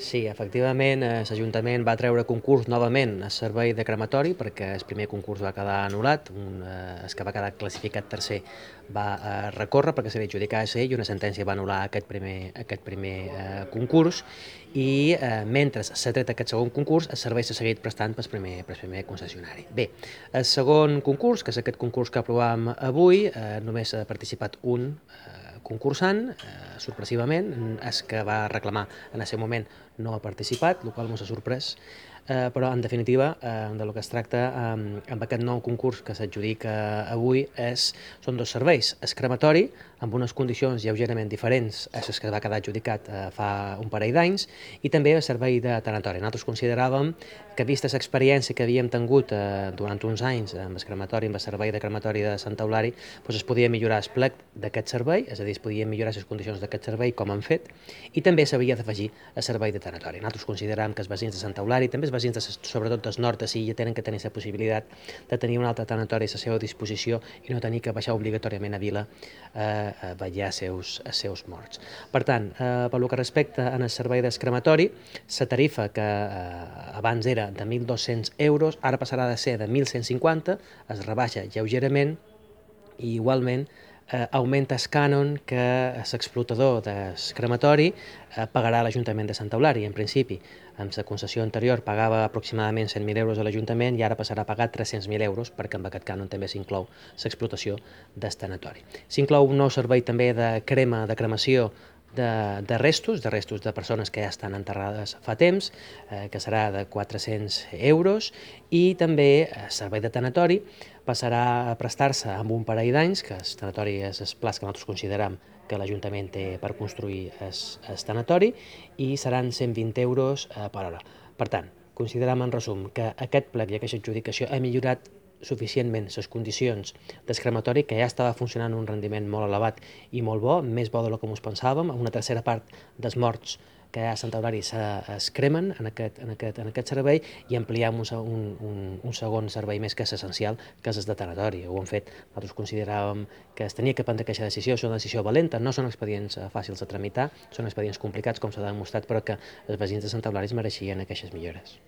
Sí, efectivament, l'Ajuntament va treure concurs novament a servei de crematori perquè el primer concurs va quedar anul·lat, el que va quedar classificat tercer va recórrer perquè se li adjudicava a ell i una sentència va anul·lar aquest primer concurs i mentre s'ha tret aquest segon concurs el servei s'ha seguit prestant pel primer concessionari. Bé, el segon concurs, que és aquest concurs que aprovàvem avui, només ha participat un concursant, sorpresivament, és que va reclamar en el seu moment no ha participat, el qual ens ha sorprès, però en definitiva de lo que es tracta amb aquest nou concurs que s'adjudica avui són dos serveis, el crematori amb unes condicions lleugerament diferents a les que va quedar adjudicat fa un parell d'anys i també el servei de tanatori. Nosaltres consideràvem que vista l'experiència que havíem tingut durant uns anys amb el crematori, amb el servei de crematori de Sant Eulari, doncs es podia millorar el plec d'aquest servei, és a dir, es podien millorar les condicions d'aquest servei com han fet, i també s'havia d'afegir el servei de tanatori. Nosaltres considerem que els veïns de Sant Eulari, també els veïns sobretot del nord de Silla, tenen que tenir la possibilitat de tenir un altre tanatori a la seva disposició i no tenir que baixar obligatòriament a Vila a vetllar els seus morts. Per tant, pel que respecta al servei del crematori, la tarifa que abans era de 1.200 euros, ara passarà de ser de 1.150, es rebaixa lleugerament i igualment augmenta el cànon que l'explotador del crematori pagarà a l'Ajuntament de Sant Eulari. En principi, amb la concessió anterior pagava aproximadament 100.000 euros a l'Ajuntament i ara passarà a pagar 300.000 euros perquè amb aquest cànon també s'inclou l'explotació del tanatori. S'inclou un nou servei també de cremació de restos de persones que ja estan enterrades fa temps, que serà de 400 euros, i també el servei de tanatori passarà a prestar-se amb un parell d'anys, que el tanatori és el pla que nosaltres considerem que l'Ajuntament té per construir el tanatori, i seran 120 euros per hora. Per tant, considerem en resum que aquest plec i aquesta adjudicació ha millorat suficientment les condicions del crematori, que ja estava funcionant a un rendiment molt elevat i molt bo, més bo del que ens pensàvem. Una tercera part dels morts que hi ha a Sant Eulari es cremen en aquest servei, i ampliem un segon servei més que és essencial, que és el de tanatori. Ho hem fet, nosaltres consideràvem que es tenia que prendre aquesta decisió, és una decisió valenta, no són expedients fàcils de tramitar, són expedients complicats, com s'ha demostrat, però que els veïns de Sant Eulari es mereixien aquestes millores.